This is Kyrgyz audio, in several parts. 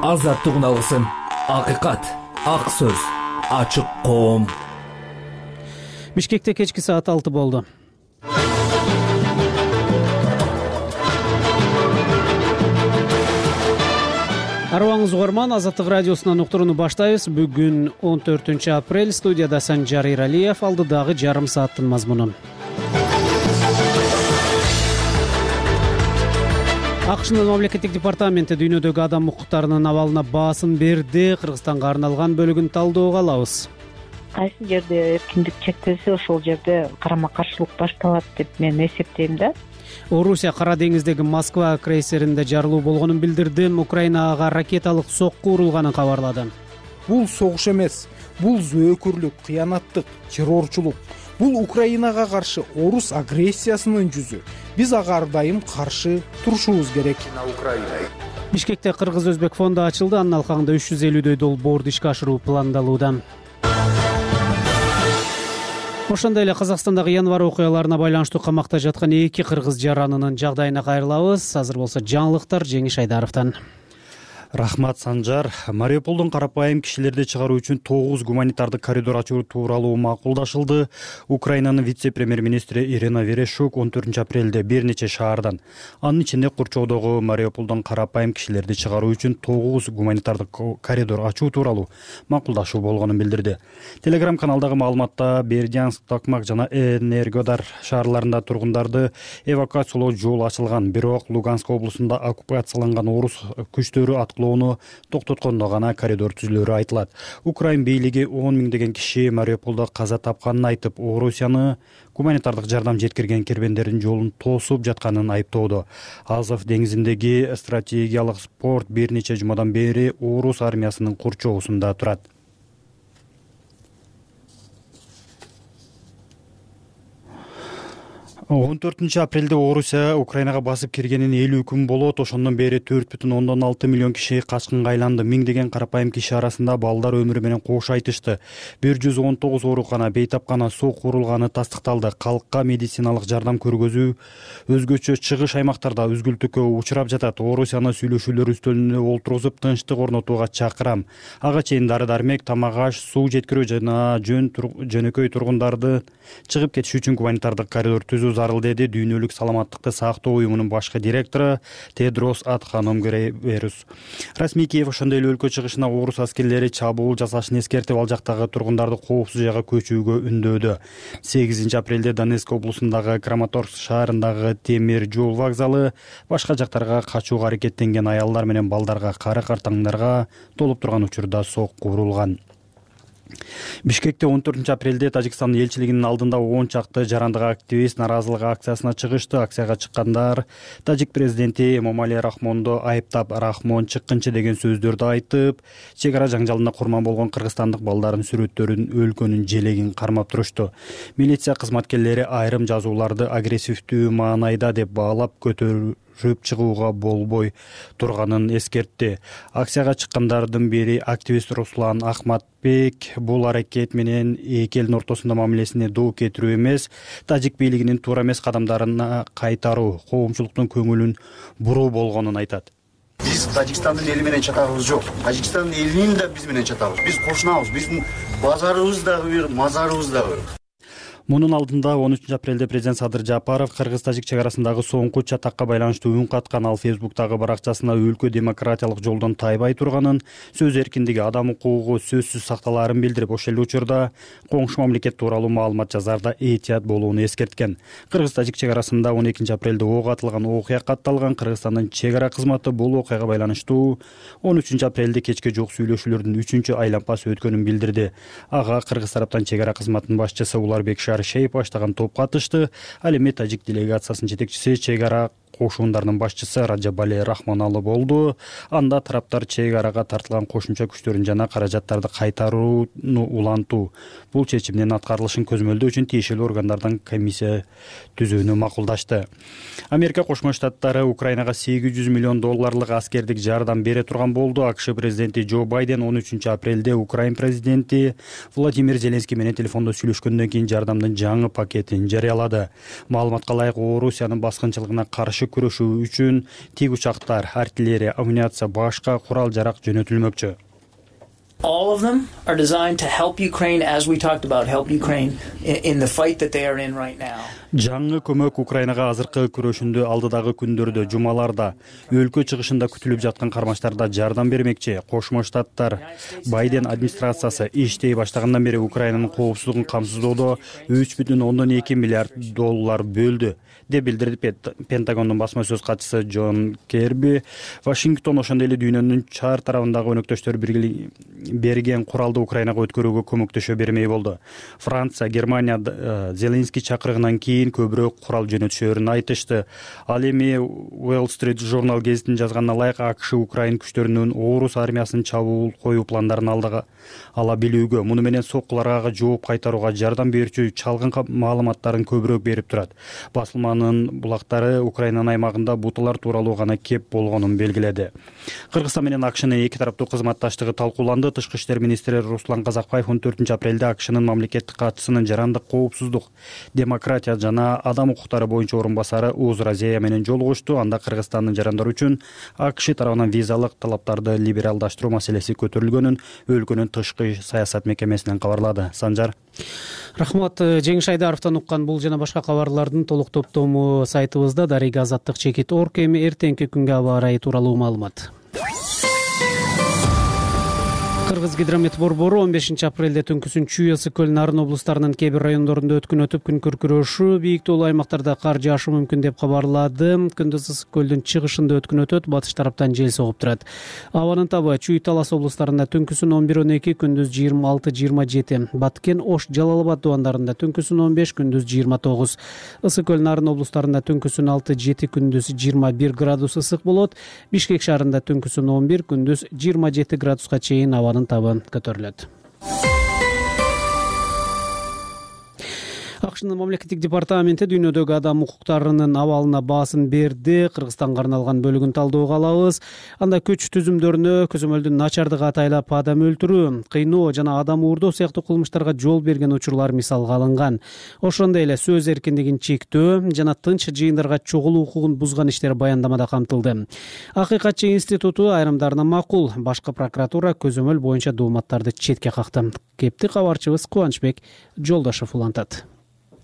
азаттык алгысым, акыйкат, ак сөз, ачык коом. Бишкекте кечки саат 6 болду. Арыбаңыз угарман, Азаттык радиосунан уктурууну баштайбыз. Бүгүн 14 апрель, студияда Санжар Иралиев, алдыдагы жарым сааттын мазмунун. АКШнын мамлекеттик департаменти дүйнөдөгү адам укуктарынын абалына баасын берди. Кыргызстанга арналган бөлүгүн талдөөгө алабыз. Кайсы жерде эркиндик чектелсе, ошол жерде карама каршылык башталат деп мен эсептейм да. Орусия Кара деңиздеги Москва крейсеринде жарылуу болгонун билдирди. Украинага ракеталык сокку урулганын кабарлады. Бул согуш эмес, бул зөөкүрлүк, кыянаттык, террорчулук. Бул Украинага каршы орус агрессиясынын жүзү. Биз ага ар дайым каршы турушубуз керек. Бишкекте Кыргыз-Өзбек фонду ачылды. Анын алкагында 350дөй долбоорду ишке ашыруу пландалууда. Ошондой эле Казакстандагы январь окуяларына байланыштуу камакта жаткан 2 кыргыз жаранынын жагдайына кайрылабыз. Азыр болсо жаңылыктар Жеңиш Айдаровдон. Рахмат, Санжар. Мариуполдун карапайым кишилерди чыгаруу үчүн 9 гуманитардык коридор ачуу тууралуу макулдашылды. Украинанын вице-премьер-министри Ирина Верещук 14 апрелде бир нече шаардан, анын ичинде Курчоодогу Мариуполдон карапайым кишилерди чыгаруу үчүн 9 гуманитардык коридор ачуу тууралуу макулдашуу болгонун билдирди. Телеграм-каналдагы маалыматта Бердянск, Токмак жана Энергодар шаарларында тургундарды эвакуациялоо жолу ачылган, бирок Луганск облусунда оккупацияланган орус күчтөрү аткылоону токтоткондо гана коридор түзүлөрү айтылат. Украин бийлиги 10 миңдеген киши Мариуполдо каза тапканын айтып, Орусияны гуманитардык жардам жеткирген кербендердин жолун тосуп жатканын айыптоодо. Азов деңизиндеги стратегиялык порт бир нече жумадан бери орус армиясынын курчоосунда турат. Он 14 апрелде Орусия Украинага басып киргенин 50 күн болот. Ошондон бери 4,6 миллион киши качкынга айланды. Миңдеген карапайым киши арасында балдар өмүрү менен кош айтышты. 119 оорукана, бейтапкана, суу курулганы тастыкталды. Калкка медициналык жардам көргөзүү өзгөчө чыгыш аймактарда үзгүлтүккө учурап жатат. Орусияны сүйлөшүүлөр үстөлүнө олтургузуп, тынчтык орнотууга чакырам. Ага чейин дары-дармек, тамак-аш, суу жеткирүү жана жөнөкөй тургундарды чыгып кетиш үчүн гуманитардык коридор түзүү зарыл, деди Дүйнөлүк саламаттыкты сактоо уюмунун башкы директору Тедрос Адханом Гебрейесус. Расмий Киев ошондой эле өлкө чыгышына орус аскерлери чабуул жасашын эскертип, ал жактагы тургундарды коопсуз жайга көчүүгө үндөөдү. 8 апрелде Донецк облусундагы Краматорск шаарындагы темир жол вокзалы башка жактарга качууга аракеттенген аялдар менен балдарга, кара-картаңдарга толуп турган учурда сокку урулган. Бишкекте 14 апрелде Тажикстандын элчилигинин алдында 10 чакты жарандык активист наразылык акциясына чыгышты. Акцияга чыккандар тажик президенти Эмомали Рахмонду айыптап, Рахмон чыккынчы деген сөздөрдү айтып, чек ара жаңжалына курман болгон кыргызстандык балдардын сүрөттөрүн, өлкөнүн желегин кармап турушту. Милиция кызматкерлери айрым жазууларды агрессивдүү маанайда деп баалап, көтөрүп чыгууга болбой турганын эскертти. Акцияга чыккандардын бири активист Руслан Ахматбек бул аракет менен эки элдин ортосунда мамилесине доо кетирүү эмес, тажик бийлигинин туура эмес кадамдарына кайтаруу, коомчулуктун көңүлүн буруу болгонун айтат. Биз Тажикстандын эли менен чатагыбыз жок. Тажикстандын элинин да биз менен чатабыз. Биз кошунабыз. Биздин базарыбыз дагы бир, мазарыбыз дагы бир. Мунун алдында 13 апрелде президент Садыр Жапаров кыргыз-тажик чек арасындагы соңку чатакка байланыштуу үн каткан. Ал Фейсбуктагы баракчасына өлкө демократиялык жолдон тайбай турганын, сөз эркиндиги, адам укугу сөзсүз сакталаарын билдирип, ошол эле учурда коңшу мамлекет тууралуу маалымат жазарда этият болууну эскерткен. Кыргыз-тажик чек арасында 12 апрелде ок атылган окуя катталган. Кыргызстандын чек ара кызматы бул окуяга байланыштуу 13 апрелде кечке жок сүйлөшүүлөрдүн 3-чү айланпасы өткөнүн билдирди. Ага кыргыз тараптан чек ара кызматынын башчысы Уларбек Шейп баштаган топ катышты. Ал эми тажик делегациясынын жетекчиси, чек ара кошуундарынын башчысы Раджабали Рахмоналы болду. Анда тараптар чек арага тартылган кошумча күчтөрүн жана каражаттарды кайтарууну улантуу, бул чечимдин аткарылышын көзмөлдөө үчүн тиешелүү органдардан комиссия түзүүнү макулдашты. Америка Кошмо Штаттары Украинага $800 миллион аскердик жардам бере турган болду. АКШ президенти Джо Байден 13 апрелде Украин президенти Владимир Зеленский менен телефондо сүйлөшкөндөн кийин жардамдын жаңы пакетин жарыялады. Маалыматка ылайык, Орусиянын баскынчылыгына каршы күрөшүү үчүн тигучактар, артиллерия, амуниция, башка курал-жарак жөнөтүлмөкчү. All of them are designed to help Ukraine, as we talked about, help Ukraine in the fight that they are in right now. Жаңы көмөк Украинага азыркы күрөшүндө алдыдагы күндөрдө, жумаларда, өлкө чыгышында күтүлүп жаткан кармаштарда жардам бермекчи. Кошмо Штаттар Байден администрациясы иштей баштагандан бери Украинанын коопсуздугун камсыздоодо $3,2 миллиард бөлдү деп билдирди Пентагондун басма сөз катчысы Джон Керби. Вашингтон ошондой эле дүйнөнүн чар тарабындагы өнөктөштөр берген куралды Украинага өткөрүүгө көмөктөшө бермей болду. Франция, Германия Зеленский чакырыгынан кийин көбүрөөк курал жөнөтүшөрүн айтышты. Ал эми Wall Street Journal гезитинин жазганына ылайык АКШ Украин күчтөрүнүн орус армиясынын чабуул коюу пландарын ала билүүгө, муну менен соккуларга жооп кайтарууга жардам берүүчү чалгын маалыматтарын көбүрөөк берип турат. Басылманын булактары Украинанын аймагында буталар тууралуу гана кеп болгонун белгиледи. Кыргызстан менен АКШнын эки тараптуу кызматташтыгы талкууланды. Тышкы иштер министри Руслан Казакбаев 14 апрелде АКШнын мамлекеттик катчысынын жарандык коопсуздук, демократия жана адам укуктары боюнча орун басары Уз Разея менен жолугушту. Анда Кыргызстандын жарандары үчүн АКШ тарабынан визалык талаптарды либералдаштыруу маселеси көтөрүлгөнүн өлкөнүн тышкы саясат мекемесинен кабарлады. Санжар. Рахмат. Жеңиш Айдаровдон уккан бул жана башка кабарлардын толук топтому сайтыбызда Дарига Азаттык чекит орг. Эми эртеңки күнгө аба ырайы тууралуу маалымат. Кыргызгидромет борбору 15 апрелде түнкүсүн Чүй, Ысык көл, Нарын облустарынын кээ бир райондорунда өткөн өтүп күн күркүрөшү, бийик тоолуу аймактарда кар жаашы мүмкүн деп кабарлады. Күндүз Ысык көлдүн чыгышында өткөн өтөт, батыш тараптан жел согуп турат. Абанын табы Чүй, Талас облустарында түнкүсүн 11-12, күндүз 26-27, Баткен, Ош, Жалал Абад дубандарында түнкүсүн 15, күндүз 29, Ысык көл, Нарын облустарында түнкүсүн 6-7, күндүз 21 градус ысык болот. Бишкек шаарында түнкүсүн 11, күндүз 27 градуска чейин абанын табы көтөрүлөт. АКШнын мамлекеттик департаменти дүйнөдөгү адам укуктарынын абалына баасын берди. Кыргызстанга арналган бөлүгүн талдөөгө алабыз. Анда күч түзүмдөрүнө көзөмөлдүн начардыгы атайлап адам өлтүрүү, кыйноо жана адам уурдоо сыяктуу кылмыштарга жол берген учурлар мисалга алынган. Ошондой эле сөз эркиндигин чектөө жана тынч жыйындарга чогулуу укугун бузган иштер баяндамада камтылды. Акыйкатчы институту айрымдарына макул, башкы прокуратура көзөмөл боюнча дооматтарды четке какты. Кепти кабарчыбыз Кубанычбек Жолдошов улантат.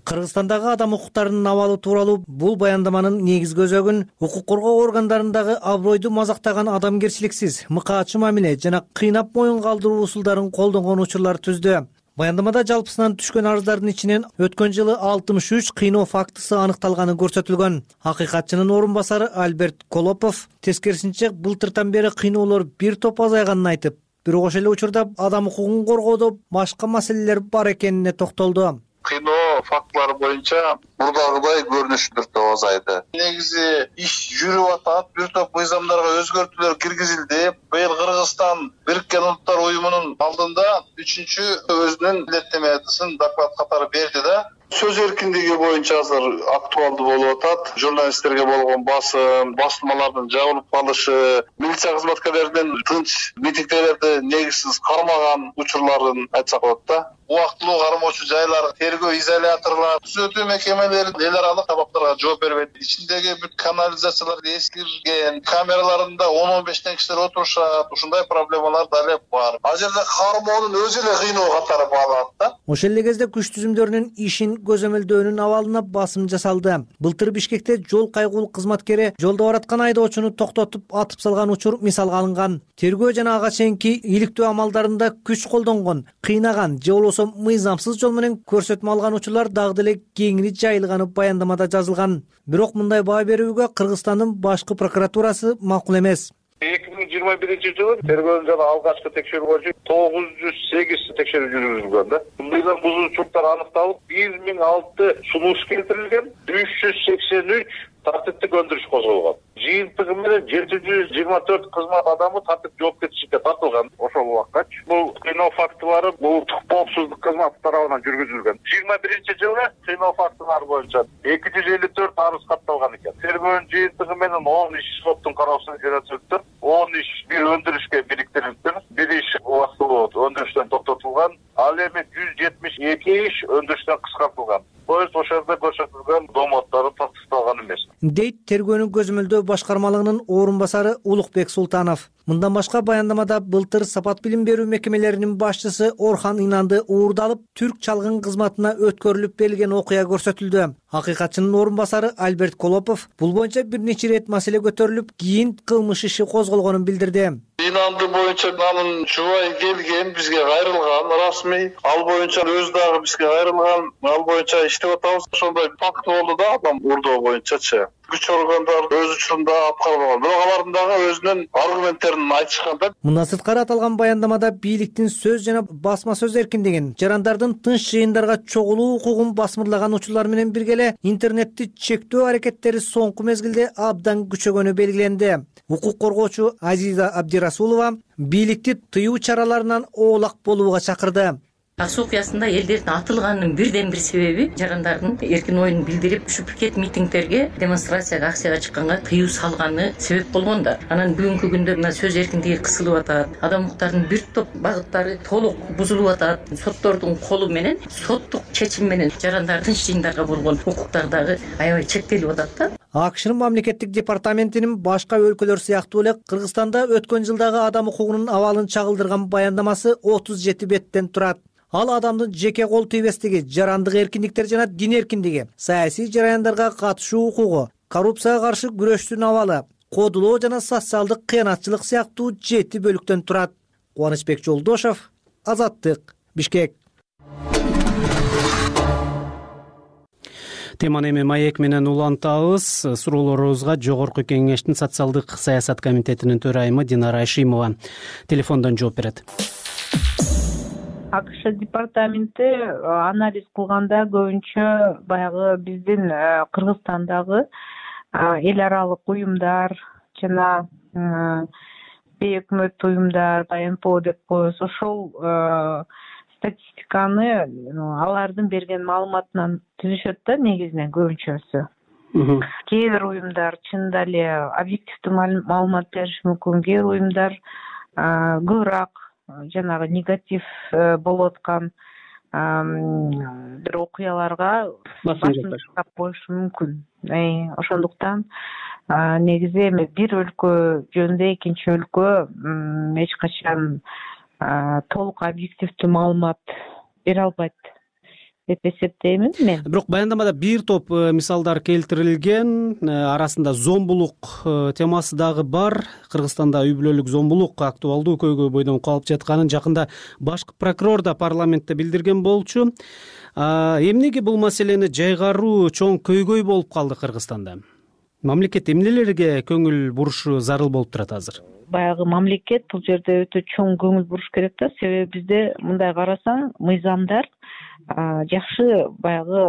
Кыргызстандагы адам укуктарынын абалы тууралуу бул баяндаманын негизги өзөгүн укук коргоо органдарындагы абройду мазактаган, адамгерчиликсиз, мыкаачы мамиле жана кыйнап моюн калтыруу усулдарын колдонгон учурлар түздү. Баяндамада жалпысынан түшкөн арыздардын ичинен өткөн жылы 63 кыйноо фактысы аныкталганы көрсөтүлгөн. Акыйкатчынын орун басары Альберт Колопов тескерисинче былтыртан бери кыйноолор бир топ азайганын айтып, бирок ошол эле учурда адам укугун коргоодо башка маселелер бар экенине токтолду. Кыйноо фактылары боюнча мурдагыдай көрүнүш бир топ азайды. Негизи иш жүрүп атат, бир топ мыйзамдарга өзгөртүүлөр киргизилди. Быйыл Кыргызстан Бириккен Улуттар уюмунун алдында 3-чү өзүнүн илеттемесин доклад катары берди да. Сөз эркиндиги боюнча азыр актуалдуу болуп атат. Журналисттерге болгон басым, басылмалардын жабылып калышы, милиция кызматкерлеринин тынч митингдерди негизсиз кармаган учурларын айтсак болот да. Убактылуу кармоочу жайлар, тергөө изоляторлор, түзөтүү мекемелери эл аралык талаптарга жооп бербейт. Ичиндеги бүт канализациялар эскирген, камераларында 10-15 кишилер отурушат. Ушундай проблемалар дале бар. Ал жерде кармоонун өзү эле кыйноо катары бааланат да. Ошол эле кезде күч түзүмдөрүнүн ишин көзөмөлдөөнүн абалына басым жасалды. Былтыр Бишкекте жол кайгуулук кызматкери жолдо бараткан айдоочуну токтотуп атып салган учур мисалга алынган. Тергөө жана ага чейинки иликтөө амалдарында күч колдонгон, кыйнаган же болбосо мыйзамсыз жол менен көрсөтмө алган учурлар дагы деле кеңири жайылганы баяндамада жазылган. Бирок мындай баа берүүгө Кыргызстандын башкы прокуратурасы макул эмес. 2021-жылы тергөө жана алгачкы текшерүү боюнча 908 текшерүү жүргүзүлгөн да. Мыйзам бузуучулуктар аныкталып, 1006 сунуш келтирилген, 383 тартиптик өндүрүш козголгон. Жыйынтыгы менен 724 кызмат адамы тартип жоопкерчиликке тартылган. Ошол убаккачы бул кыйноо фактылары улуттук коопсуздук кызматы тарабынан жүргүзүлгөн. 21-жылы кыйноо фактылары боюнча 254 арыз катталган экен. Тергөөнүн жыйынтыгы менен 10 иш соттун кароосуна жөнөтүлүптүр. 10 иш бир өндүрүшкө бириктирилиптир. Бир иш убактылуу өндүрүштөн токтотулган. Ал эми 172 иш өндүрүштөн кыскартылган. Ошол жерде көрсөтүлгөн дооматтары тастыкталган эмес. дейт тергөөнүн көзөмөлдөө башкармалыгынын орун басары Улукбек Султанов. Мындан башка баяндамада былтыр Сапат билим берүү мекемелеринин башчысы Орхан Инанды уурдалып, түрк чалгын кызматына өткөрүлүп берилген окуя көрсөтүлдү. Акыйкатчынын орун басары Альберт Колопов бул боюнча бир нече ирет маселе көтөрүлүп, кийин кылмыш иши козголгонун билдирди. Инанды боюнча анын жубайы келген, бизге кайрылган расмий. Ал боюнча өзү дагы бизге кайрылган. Ал боюнча иштеп атабыз. Ошондой факт болду да, адам уурдоо боюнчачы. Күч органдар өз учурунда аткарбаган. Бирок алардын дагы өзүнүн аргументтерин айтышкан да. Мындан сырткары аталган баяндамада бийликтин сөз жана басма сөз эркиндигин, жарандардын тынч жыйындарга чогулуу укугун басмырлаган учурлар менен бирге эле интернетти чектөө аракеттери соңку мезгилде абдан күчөгөнү белгиленди. Укук коргоочу Азиза Абдирасулова бийликти тыюу чараларынан оолак болууга чакырды. Ак суу окуясында элдердин атылганынын бирден бир себеби жарандардын эркин оюн билдирип, ушу пикет митингдерге, демонстрацияга, акцияга чыкканга тыюу салганы себеп болгон да. Анан бүгүнкү күндө мына сөз эркиндиги кысылып атат. Адам укуктарынын бир топ багыттары толук бузулуп атат. Соттордун колу менен, соттук чечим менен жарандар тынч жыйындарга болгон укуктар дагы аябай чектелип атат да. АКШнын мамлекеттик департаментинин башка өлкөлөр сыяктуу эле Кыргызстанда өткөн жылдагы адам укугунун абалын чагылдырган баяндамасы 37 беттен турат. Ал адамдын жеке кол тийбестиги, жарандык эркиндиктер жана дин эркиндиги, саясий жараяндарга катышуу укугу, коррупцияга каршы күрөштүн абалы, кодулоо жана социалдык кыянатчылык сыяктуу 7 бөлүктөн турат. Кубанычбек Жолдошов, Азаттык, Бишкек. Теманы эми маек менен улантабыз. Суроолорубузга Жогорку Кеңештин социалдык саясат комитетинин төрайымы Динара Айшимова телефондон жооп берет. АКШ департаменти анализ кылганда көбүнчө баягы биздин Кыргызстандагы эл аралык уюмдар жана бейөкмөт уюмдар, НПО деп коебуз, ошол статистиканы алардын берген маалыматынан түзүшөт да, негизинен көбүнчөсү. Кээ бир уюмдар чынында эле объективдүү маалымат бериши мүмкүн, кээ бир уюмдар көбүрөөк жанагы негатив болуп аткан бир окуяларга басым жасап коюшу мүмкүн. Ошондуктан негизи эми бир өлкө жөнүндө экинчи өлкө эч качан толук объективдүү маалымат бере албайт деп эсептеймин мен. Бирок баяндамада бир топ мисалдар келтирилген, арасында зомбулук темасы дагы бар. Кыргызстанда үй бүлөлүк зомбулук актуалдуу көйгөй бойдон калып жатканын жакында башкы прокурор да парламентте билдирген болчу. Эмнеге бул маселени жайгаруу чоң көйгөй болуп калды Кыргызстанда? Мамлекет эмнелерге көңүл бурушу зарыл болуп турат азыр? Баягы мамлекет бул жерде өтө чоң көңүл буруш керек да, себеби бизде мындай карасаң, мыйзамдар жакшы баягы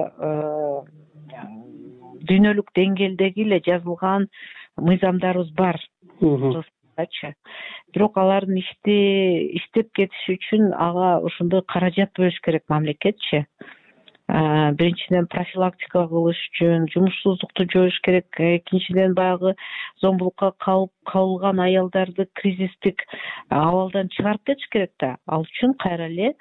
дүйнөлүк деңгээлдеги эле жазылган мыйзамдарыбыз бар. Бирок алардын иштеп кетиши үчүн ага ошондой каражат бөлүш керек мамлекетчи. Биринчиден профилактика кылыш үчүн, жумушсуздукту жоюш керек. Экинчиден баягы зомбулукка кабылган аялдарды кризистик абалдан чыгарып кетиш керек да. Ал үчүн кайра эле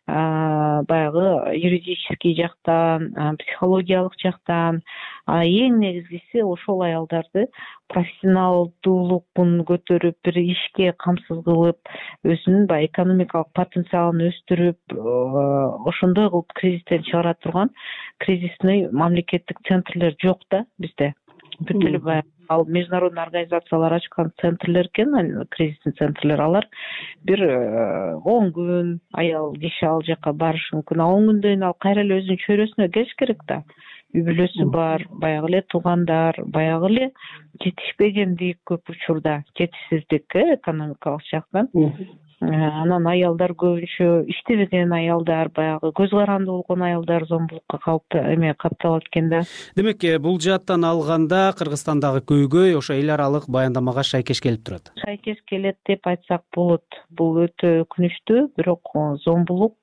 баягы юридический жактан, психологиялык жактан, эң негизгиси ошол аялдарды профессионалдуулугун көтөрүп, бир ишке камсыз кылып, өзүнүн баягы экономикалык потенциалын өстүрүп, ошондой кылып кризистен чыгара турган кризисный мамлекеттик центрлер жок да бизде. Бүт эле баягы ал международный организациялар ачкан центрлер экен, кризисный центрлер, алар бир 10 күн аял киши ал жака барышы мүмкүн. 10 күндөн кийин ал кайра эле өзүнүн чөйрөсүнө келиш керек да. Үй бүлөсү бар, баягы эле туугандар, баягы эле жетишпегендик көп учурда, жетишсиздик экономикалык жактан. Анан аялдар көбүнчө иштебеген аялдар, баягы көз каранды болгон аялдар зомбулукка капталат экен да. Демек, бул жааттан алганда Кыргызстандагы көйгөй ошо эл аралык баяндамага шайкеш келип турат. Шайкеш келет деп айтсак болот. Бул өтө өкүнүчтүү, бирок зомбулук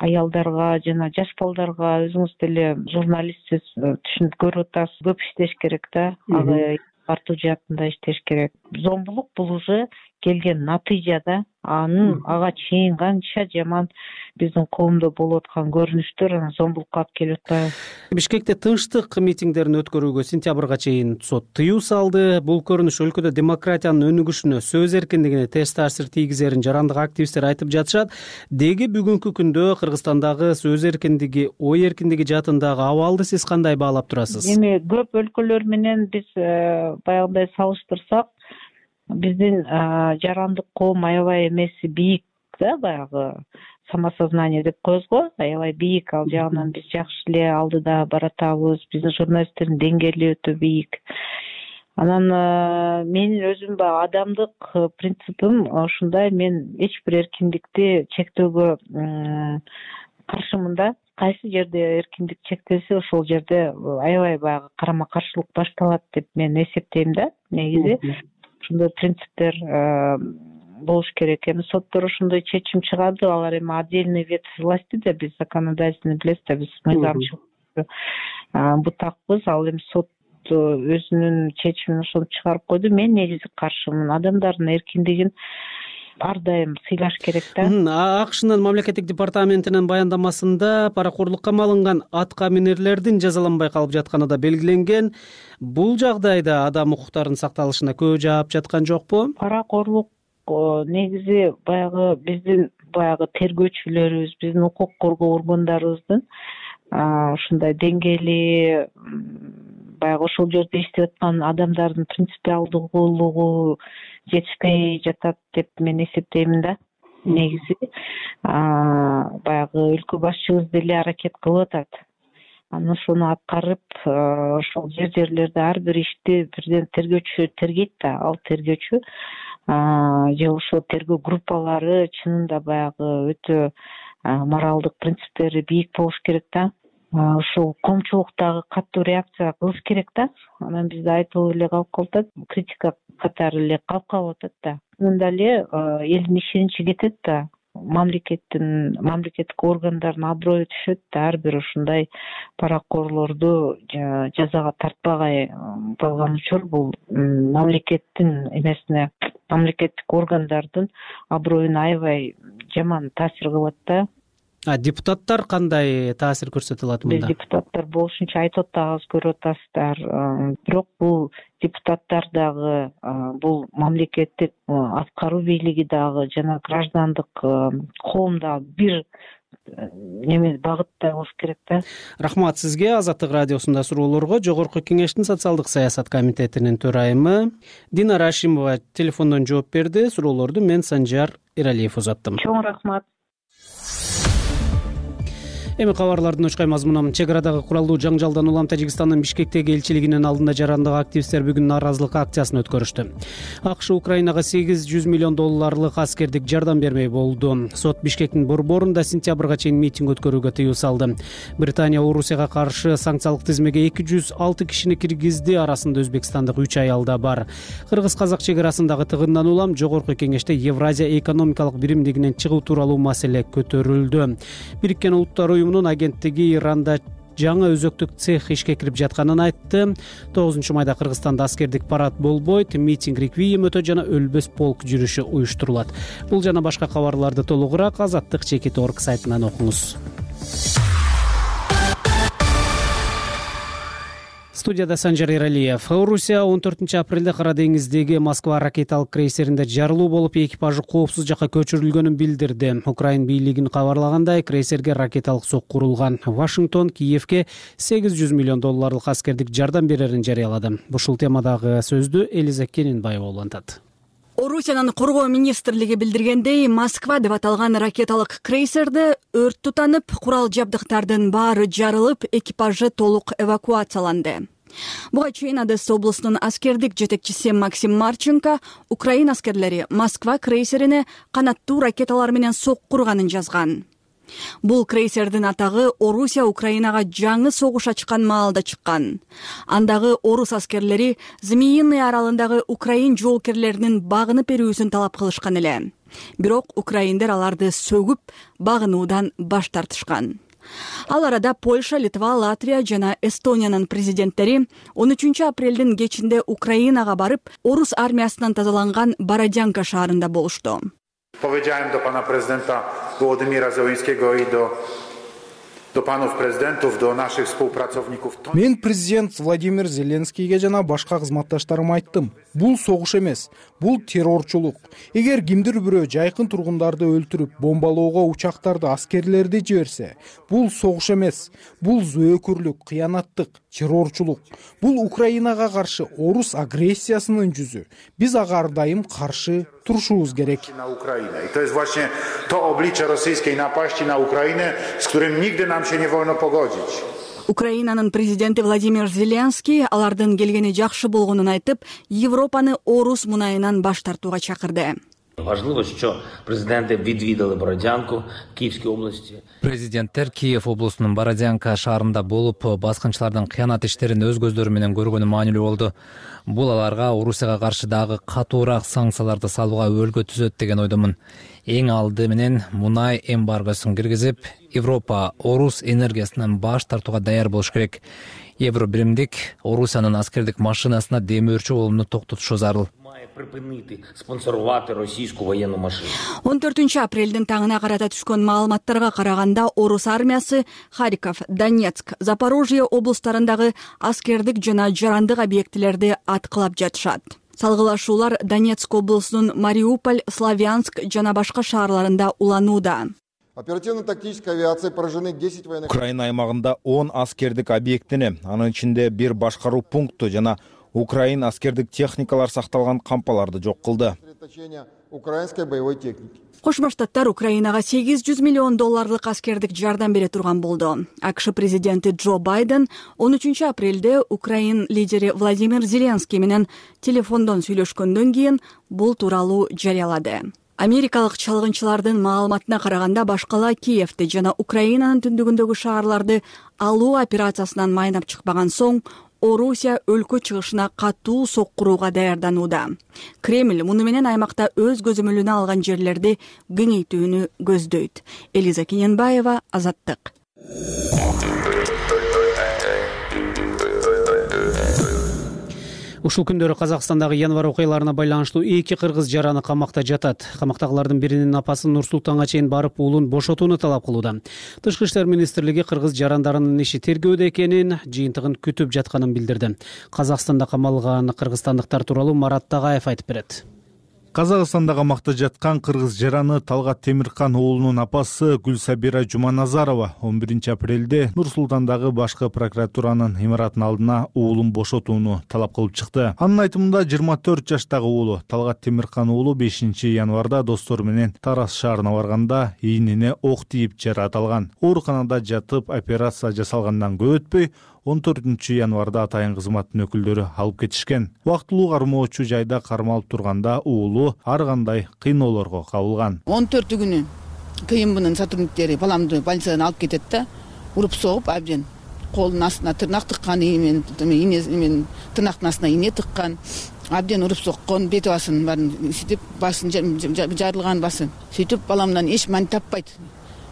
аялдарга жана жаш балдарга өзүңүз деле журналистсиз түшүнүп көрүп атасыз, көп иштеш керек да. Ага тартуу жаатында иштеш керек. Зомбулук бул уже келген натыйжада ага чейин канча жаман биздин коомдо болуп аткан көрүнүштөр анан зомбулукка алып келип атпайбы? Бишкекте тынчтык митингдерин өткөрүүгө сентябрга чейин сот тыюу салды. Бул көрүнүш өлкөдө демократиянын өнүгүшүнө, сөз эркиндигине терс таасир тийгизерин жарандык активисттер айтып жатышат. Деги бүгүнкү күндө Кыргызстандагы сөз эркиндиги, ой эркиндиги жаатындагы абалды сиз кандай баалап турасыз? Эми көп өлкөлөр менен биз баягындай салыштырсак, биздин жарандык коом аябай эмеси бийик да, баягы самосознание деп коебуз го, аябай бийик. Ал жагынан биз жакшы эле алдыда баратабыз. Биздин журналисттердин деңгээли өтө бийик. Анан менин өзүм баягы адамдык принципим ушундай, мен эч бир эркиндикти чектөөгө каршымын да. Кайсы жерде эркиндик чектелсе, ошол жерде аябай баягы карама каршылык башталат деп мен эсептейм да. Негизи ушундай принциптер болуш керек. Эми соттор ошондой чечим чыгарды. Алар эми отдельный ветвь власти да, биз законодательный билесиз да, биз мыйзамчыл бутакпыз. Ал эми сот өзүнүн чечимин ошентип чыгарып койду. Мен негизи каршымын. Адамдардын эркиндигин ар дайым сыйлаш керек да. АКШнын мамлекеттик департаментинин баяндамасында паракорлукка малынган атка минерлердин жазаланбай калып жатканы да белгиленген. Бул жагдайда адам укуктарынын сакталышына көп жаап жаткан жокпу? Паракорлук негизи баягы биздин баягы тергөөчүлөрүбүз, биздин укук коргоо органдарыбыздын ушундай деңгээли баягы ошол жерде иштеп аткан адамдардын принципиалдуулугу жетишпей жатат деп мен эсептеймин да. Негизи баягы өлкө башчыбыз деле аракет кылып атат. Анан ошону аткарып, ошол жерлерде ар бир ишти бирден тергөөчү тергейт да. Ал тергөөчү же ошол тергөө группалары чынында баягы өтө моралдык принциптери бийик болуш керек да. Ошол коомчулуктагы катуу реакция кылыш керек да. Анан бизде айтылып эле калып калат, критика катары эле калып атат да. Мында эле элдин ишеничи кетет да. Мамлекеттик органдардын аброю түшөт да. Ар бир ушундай паракорлорду жазага тартпагай болгон учур бул мамлекеттин эмесине, мамлекеттик органдардын аброюна аябай жаман таасир кылат да. Депутаттар кандай таасир көрсөтө алат мында? Биз депутаттар болушунча айтып атабыз, көрүп атасыздар. Бирок бул депутаттар дагы, бул мамлекеттик аткаруу бийлиги дагы жана граждандык коом дагы бир неме багытта болуш керек да. Рахмат сизге. Азаттык радиосунда суроолорго Жогорку Кеңештин социалдык саясат комитетинин төрайымы Динара Ашимова телефондон жооп берди. Суроолорду мен Санжар Эралиев узаттым. Чоң рахмат. Эми кабарлардын очкой мазмуну. Чек арадагы куралдуу жаңжалдан улам Тажикстандын Бишкектеги элчилигинин алдында жарандык активисттер бүгүн нааразылык акциясын өткөрүштү. АКШ Украинага $800 миллион аскердик жардам бермей болду. Сот Бишкектин борборунда сентябрга чейин митинг өткөрүүгө тыюу салды. Британия Орусияга каршы санкциялык тизмеге 206 кишини киргизди. Арасында өзбекстандык 3 аял да бар. Кыргыз-казак чек арасындагы тыгындан улам Жогорку Кеңеште Евразия экономикалык биримдигинен чыгуу тууралуу маселе көтөрүлдү. Бириккен Улуттар Уюмунун агенттиги Иранда жаңы өзөктүк цех ишке кирип жатканын айтты. 9-майда Кыргызстанда аскердик парад болбойт, митинг, реквием өтө жана өлбөс полк жүрүшү уюштурулат. Бул жана башка кабарларды толугураак azattik.org сайтынан окуңуз. Студияда Санжар Эралиев. Орусия 14 апрелде Кара деңиздеги Москва ракеталык крейсеринде жарылуу болуп, экипажы коопсуз жакка көчүрүлгөнүн билдирди. Украин бийлигинин кабарлагандай, крейсерге ракеталык сокку урулган. Вашингтон Киевке $800 миллион аскердик жардам берерин жарыялады. Ушул темадагы сөздү Элиза Кенинбаева улантат. Орусиянын коргоо министрлиги билдиргендей, Москва деп аталган ракеталык крейсерде өрт тутанып, курал жабдыктардын баары жарылып, экипажы толук эвакуацияланды. Буга чейин Одесса облусунун аскердик жетекчиси Максим Марченко Украин аскерлери Москва крейсерине канаттуу ракеталар менен сокку урганын жазган. Бул крейсердин атагы Орусия Украинага жаңы согуш ачкан маалда чыккан. Андагы орус аскерлери Змеиный аралындагы Украин жоокерлеринин багынып берүүсүн талап кылышкан эле. Бирок украиндер аларды сөгүп, багынуудан баш тартышкан. Ал арада Польша, Литва, Латвия жана Эстониянын президенттери 13 апрелдин кечинде Украинага барып, орус армиясынан тазаланган Бородянка шаарында болушту. Powiedziałem do pana prezydenta Wołodymyra Zełenskiego i do panów prezydentów, do naszych współpracowników. Мен президент Владимир Зеленскийге жана башка кызматташтарыма айттым. Бул согуш эмес, бул террорчулук. Эгер кимдир бирөө жайкын тургундарды өлтүрүп, бомбалоого учактарды, аскерлерди жиберсе, бул согуш эмес, бул зөөкүрлүк, кыянаттык, террорчулук. Бул Украинага каршы орус агрессиясынын жүзү. Биз ага ар дайым каршы turszuz gerek. Na Ukrainę. I to jest właśnie to oblicze rosyjskiej napaści na Ukrainę, z którym nigdy nam się nie wolno pogodzić. Украинанын президенти Владимир Зеленский алардын келгени жакшы болгонун айтып, Европаны орус мунайынан баш тартууга чакырды. Важливо, що президенти відвідали Бородянку, Київській області. Президенттер Киев облусунун Бородянка шаарында болуп, баскынчылардын кыянат иштерин өз көздөрү менен көргөнү маанилүү болду. Бул аларга Орусияга каршы дагы катуураак санкцияларды салууга өбөлгө түзөт деген ойдомун. Эң алды менен мунай эмбаргосун киргизип, Европа орус энергиясынан баш тартууга даяр болуш керек. Евро биримдик Орусиянын аскердик машинасына демөөрчү болууну токтотушу зарыл. Припинити спонсорувати російську воєнну машину. 14 апрелдин таңына карата түшкөн маалыматтарга караганда орус армиясы Харьков, Донецк, Запорожье облустарындагы аскердик жана жарандык объектилерди аткылап жатышат. Салгылашуулар Донецк облусунун Мариуполь, Славянск жана башка шаарларында уланууда. Оперативно-тактическая авиация поражены 10 военных. Украина аймагында 10 аскердик объектини, анын ичинде 1 башкаруу пункту жана Украин аскердик техникалар сакталган кампаларды жок кылды. Украинской боевой техники. Кошмо Штаттар Украинага $800 миллион аскердик жардам бере турган болду. АКШ президенти Джо Байден 13 апрелде Украин лидери Владимир Зеленский менен телефондон сүйлөшкөндөн кийин бул тууралуу жарыялады. Америкалык чалгынчылардын маалыматына караганда башкала Киевди жана Украинанын түндүгүндөгү шаарларды алуу операциясынан майнап чыкпаган соң Орусия өлкө чыгышына катуу соккурууга даярданууда. Кремль муну менен аймакта өз көзөмөлүнө алган жерлерди кеңейтүүнү көздөйт. Элиза Кененбаева, Азаттык. Ушул күндөрү Казакстандагы январь окуяларына байланыштуу 2 кыргыз жараны камакта жатат. Камактагылардын биринин апасы Нур-Султанга чейин барып уулун бошотууну талап кылууда. Тышкы иштер министрлиги кыргыз жарандарынын иши тергөөдө экенин, жыйынтыгын күтүп жатканын билдирди. Казакстанда камалган кыргызстандыктар тууралуу Марат Тагаев айтып берет. Казакстанда камакта жаткан кыргыз жараны Талгат Темиркан уулунун апасы Гүлсабира Жуманазарова 11 апрелде Нур-Султандагы башкы прокуратуранын имаратынын алдына уулун бошотууну талап кылып чыкты. Анын айтымында 24 жаштагы уулу Талгат Темиркан уулу 5 январда достору менен Тарас шаарына барганда ийнине ок тийип жаракат алган. Ооруканада жатып операция жасалгандан көп өтпөй 14 январда атайын кызматтын өкүлдөрү алып кетишкен. Убактылуу кармоочу жайда кармалып турганда уулу ар кандай кыйноолорго кабылган. 14 күнү КМБнын сотрудниктери баламды больницадан алып кетет да, уруп согуп абден колунун астына тырнак тыккан, мен тырнактын астына ийне тыккан, абден уруп соккон, бет басын баарын ситип, басын жарылган басы. Сөйтүп баламдан эч мани таппайт.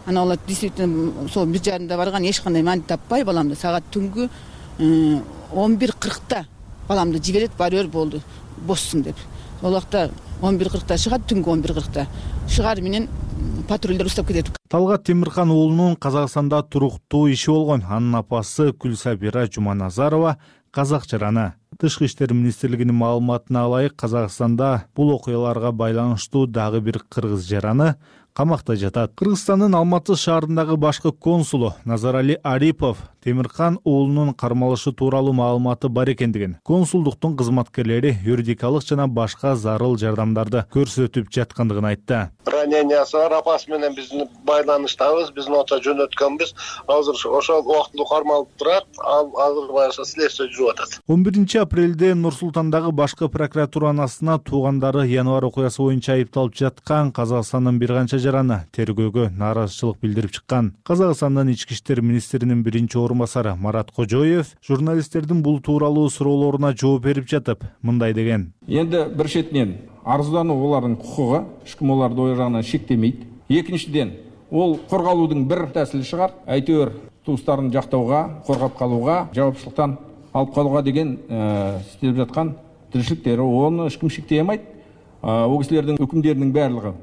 Ана олар действительно сол бир жарымда барган, эч кандай мани таппай баламды саат түнгү 11:40 баламды жиберет, барөр болду, бошсуң деп. Ол вакытта 11:40 чыгат, түнгү 11:40 шыгаар менен патрульдер уштап кетет. Талгат Темиркан уулунун Казакстанда туруктуу иши болгон. Анын апасы Гүлсабира Жуманазарова казак жараны. Тышкы иштер министрлигинин маалыматына ылайык, Казакстанда бул окуяларга байланыштуу дагы бир кыргыз жараны камакта жатат. Кыргызстандын Алматы шаарындагы башкы консулу Назарали Арипов Темиркан уулунун кармалышы тууралуу маалыматы бар экендигин, консулдуктун кызматкерлери юридикалык жана башка зарыл жардамдарды көрсөтүп жаткандыгын айтты. Ранениясы бар, апасы менен биздин байланыштабыз, биздин ота жөнөткөнбүз. Азыр ошол убактылуу кармалып турат, азыр баягы следствие жүрүп атат. 11 апрелде Нур-Султандагы башкы прокуратуранын астына туугандары январь окуясы боюнча айыпталып жаткан Казакстандын бир канча жараны тергөөгө нааразычылык билдирип чыккан. Казакстандын ички иштер министринин биринчи орунбасары Марат Кожоев журналисттердин бул тууралуу суроолоруна жооп берип жатып, мындай деген. Энди бир четинен арыздануу олардын кукугу, эч ким оларды ой жагынан шектемейт. Экинчиден, ол коргалуудун бир тәсили чыгар, әйтеуір туустарын жактауга, коргап калууга, жауапчылыктан алып калууга деген иштелип жаткан тиричиликтери, оны эч ким шектей алмайт. О кисилердин өкүмдөрүнүн баардыгы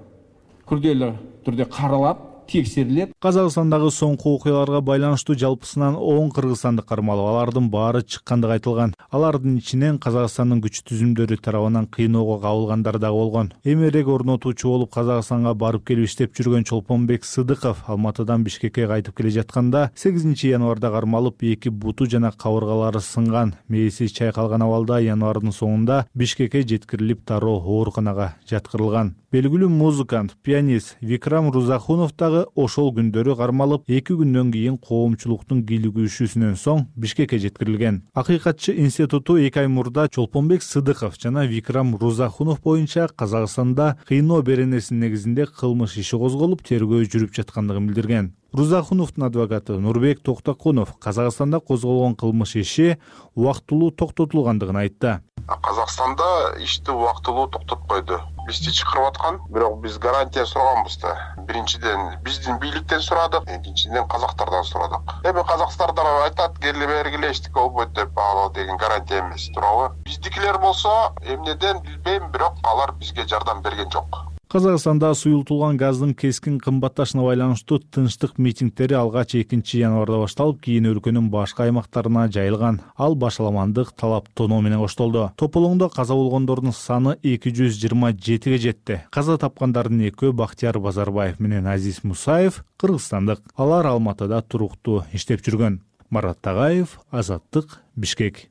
күрделүү түрдө каралат, текшерилет. Казакстандагы соңку окуяларга байланыштуу жалпысынан 10 кыргызстанды кармалып, алардын баары чыккандыгы айтылган. Алардын ичинен Казакстандын күч түзүмдөрү тарабынан кыйноого кабылгандар дагы болгон. Эмерек орнотуучу болуп Казакстанга барып келип иштеп жүргөн Чолпонбек Сыдыков Алматыдан Бишкекке кайтып келе жатканда 8 январда кармалып, 2 буту жана кабыргалары сынган. Мээси чайкалган абалда январдын соңунда Бишкекке жеткирилип, тароо ооруканага жаткырылган. Белгилүү музыкант, пианист Викрам Рузахунов дагы ошол күндөрү кармалып, 2 күндөн кийин коомчулуктун кийлигүүсүнөн соң Бишкекке жеткирилген. Акыйкатчы институту 2 ай мурда Чолпонбек Сыдыков жана Викрам Рузахунов боюнча Казакстанда кыйноо беренесинин негизинде кылмыш иши козголуп, тергөө жүрүп жаткандыгын билдирген. Рузахуновдун адвокаты Нурбек Токтакунов Казакстанда козголгон кылмыш иши убактылуу токтотулгандыгын айтты. Казакстанда ишти убактылуу токтоп койду. Бизди чакырып аткан, бирок биз гарантия сураганбыз да. Биринчиден биздин бийликтен сурадык, экинчиден казактардан сурадык. Эми казактардан айтат, келе бергиле эчтеке болбойт деп, ал деген гарантия эмес, туурабы? Биздикилер болсо, эмнеден билбейм, бирок алар бизге жардам берген жок. Казакстанда суюлтулган газдын кескин кымбатташына байланыштуу тынчтык митингдери алгач 2 январда башталып, кийин өлкөнүн башка аймактарына жайылган. Ал башаламандык талап тоноо менен коштолду. Тополоңдо каза болгондордун саны 227-ге жетти. Каза тапкандардын экөө Бактияр Базарбаев менен Азиз Мусаев кыргызстандык. Алар Алматыда туруктуу иштеп жүргөн. Марат Тагаев, Азаттык, Бишкек.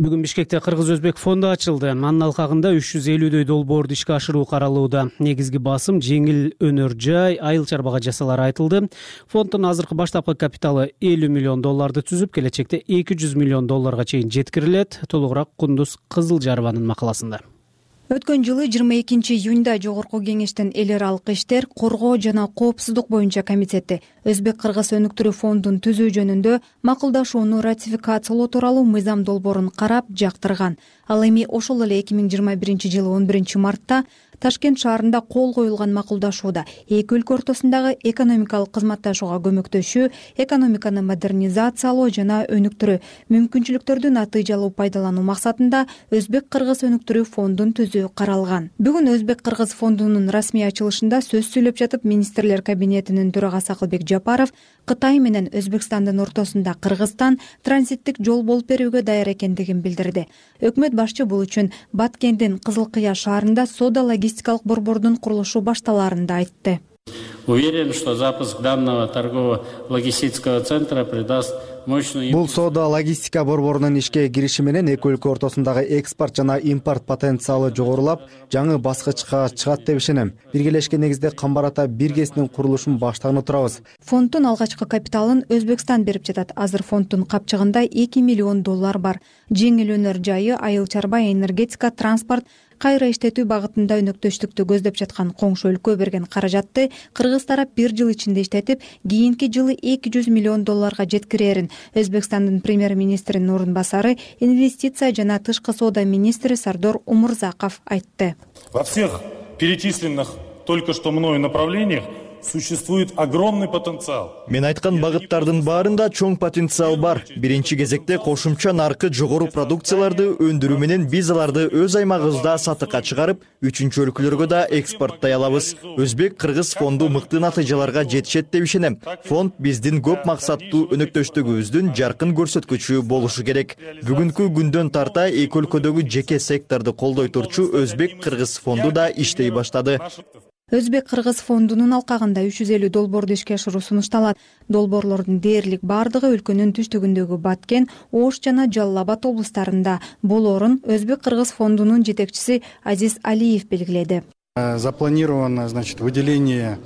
Бүгүн Бишкекте Кыргыз-Өзбек фонду ачылды. Анын алкагында 350дөй долбоорду ишке ашыруу каралууда. Негизги басым жеңил өнөр жай, айыл чарбага жасалары айтылды. Фонддун азыркы баштапкы капиталы $50 миллион түзүп, келечекте $200 миллион чейин жеткирилет. Толугураак Кундуз Кызылжарованын макаласында. Өткөн жылы 22 июнда Жогорку кеңештин эл аралык иштер, коргоо жана коопсуздук боюнча комитети Өзбек-Кыргыз өнүктүрүү фондун түзүү жөнүндө макулдашууну ратификациялоо тууралуу мыйзам долбоорун карап жактырган. Ал эми ошол эле 2021 жылы 11 мартта Ташкент шаарында кол коюлган макулдашууда эки өлкө ортосундагы экономикалык кызматташууга көмөктөшүү, экономиканы модернизациялоо жана өнүктүрүү мүмкүнчүлүктөрдү натыйжалуу пайдалануу максатында Өзбек-Кыргыз өнүктүрүү фондун түзүү каралган. Бүгүн Өзбек-Кыргыз фондунун расмий ачылышында сөз сүйлөп жатып, министрлер кабинетинин төрагасы Акылбек Жапаров Кытай менен Өзбекстандын ортосунда Кыргызстан транзиттик жол болуп берүүгө даяр экендигин билдирди. Өкмөт башчы бул үчүн Баткендин Кызылкыя шаарында соода логистикалык борбордун курулушу башталарын да айтты. Уверен, что запуск данного торгово-логистического центра придаст мощный... Бул соода логистика борборунун ишке кириши менен эки өлкө ортосундагы экспорт жана импорт потенциалы жогорулап, жаңы баскычка чыгат деп ишенем. Биргелешкен негизде Камбарата биргесинин курулушун баштаганы турабыз. Фонддун алгачкы капиталын Өзбекстан берип жатат. Азыр фонддун капчыгында $2 миллион бар. Жеңил өнөр жайы, айыл чарба, энергетика, транспорт, кайра иштетүү багытында өнөктөштүктү көздөп жаткан коңшу өлкө берген каражатты Кыргыз тарап 1 жыл ичинде иштетип, кийинки жылы $200 миллион жеткирерин Өзбекстандын премьер-министринин орун басары, инвестиция жана тышкы соода министри Сардор Умурзаков айтты. Во всех перечисленных только что мною направлениях существует огромный потенциал. Мен айткан багыттардын баарында чоң потенциал бар. Биринчи кезекте кошумча наркы жогору продукцияларды өндүрүү менен биз аларды өз аймагыбызда сатыкка чыгарып, үчүнчү өлкөлөргө да экспорттой алабыз. Өзбек-Кыргыз фонду мыкты натыйжаларга жетишет деп ишенем. Фонд биздин көп максаттуу өнөктөштүгүбүздүн жаркын көрсөткүчү болушу керек. Бүгүнкү күндөн тарта эки өлкөдөгү жеке секторду колдой турчу Өзбек-Кыргыз фонду да иштей баштады. Өзбек-Кыргыз фондунун алкагында 350 долбоорду ишке ашыруу сунушталат. Долбоорлордун дээрлик бардыгы өлкөнүн түштүгүндөгү Баткен, Ош жана Жалал Абад облустарында болоорун Өзбек-Кыргыз фондунун жетекчиси Азиз Алиев белгиледи. Запланировано, выделение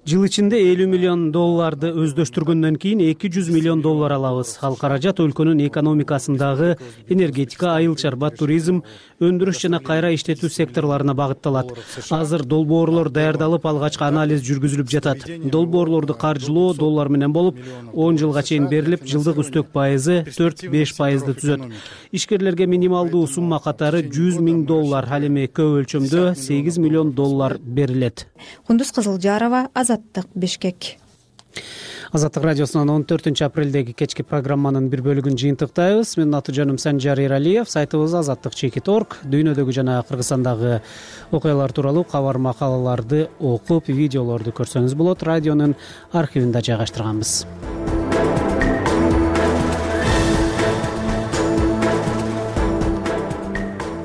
Жыл ичинде $50 миллион өздөштүргөндөн кийин $200 миллион алабыз. Ал каражат өлкөнүн экономикасындагы энергетика, айыл чарба, туризм, өндүрүш жана кайра иштетүү секторлоруна багытталат. Азыр долбоорлор даярдалып, алгачкы анализ жүргүзүлүп жатат. Долбоорлорду каржылоо доллар менен болуп, 10 жылга чейин берилип, жылдык үстөк пайызы 4-5% түзөт. Ишкерлерге минималдуу сумма катары $100 миң, ал эми көп өлчөмдө $8 миллион берилет. Кундуз Кызылжарова, Азаттык, Бишкек. Азаттык радиосунун 14 апрелдеги кечки программанын бир бөлүгүн жыйынтыктайбыз. Менин аты жөнүм Санжар Эралиев. Сайтыбыз azаттык.org. Дүйнөдөгү жана Кыргызстандагы окуялар тууралуу кабар макалаларды окуп, видеолорду көрсөңүз болот. Радионун архивинде жайгаштырганбыз.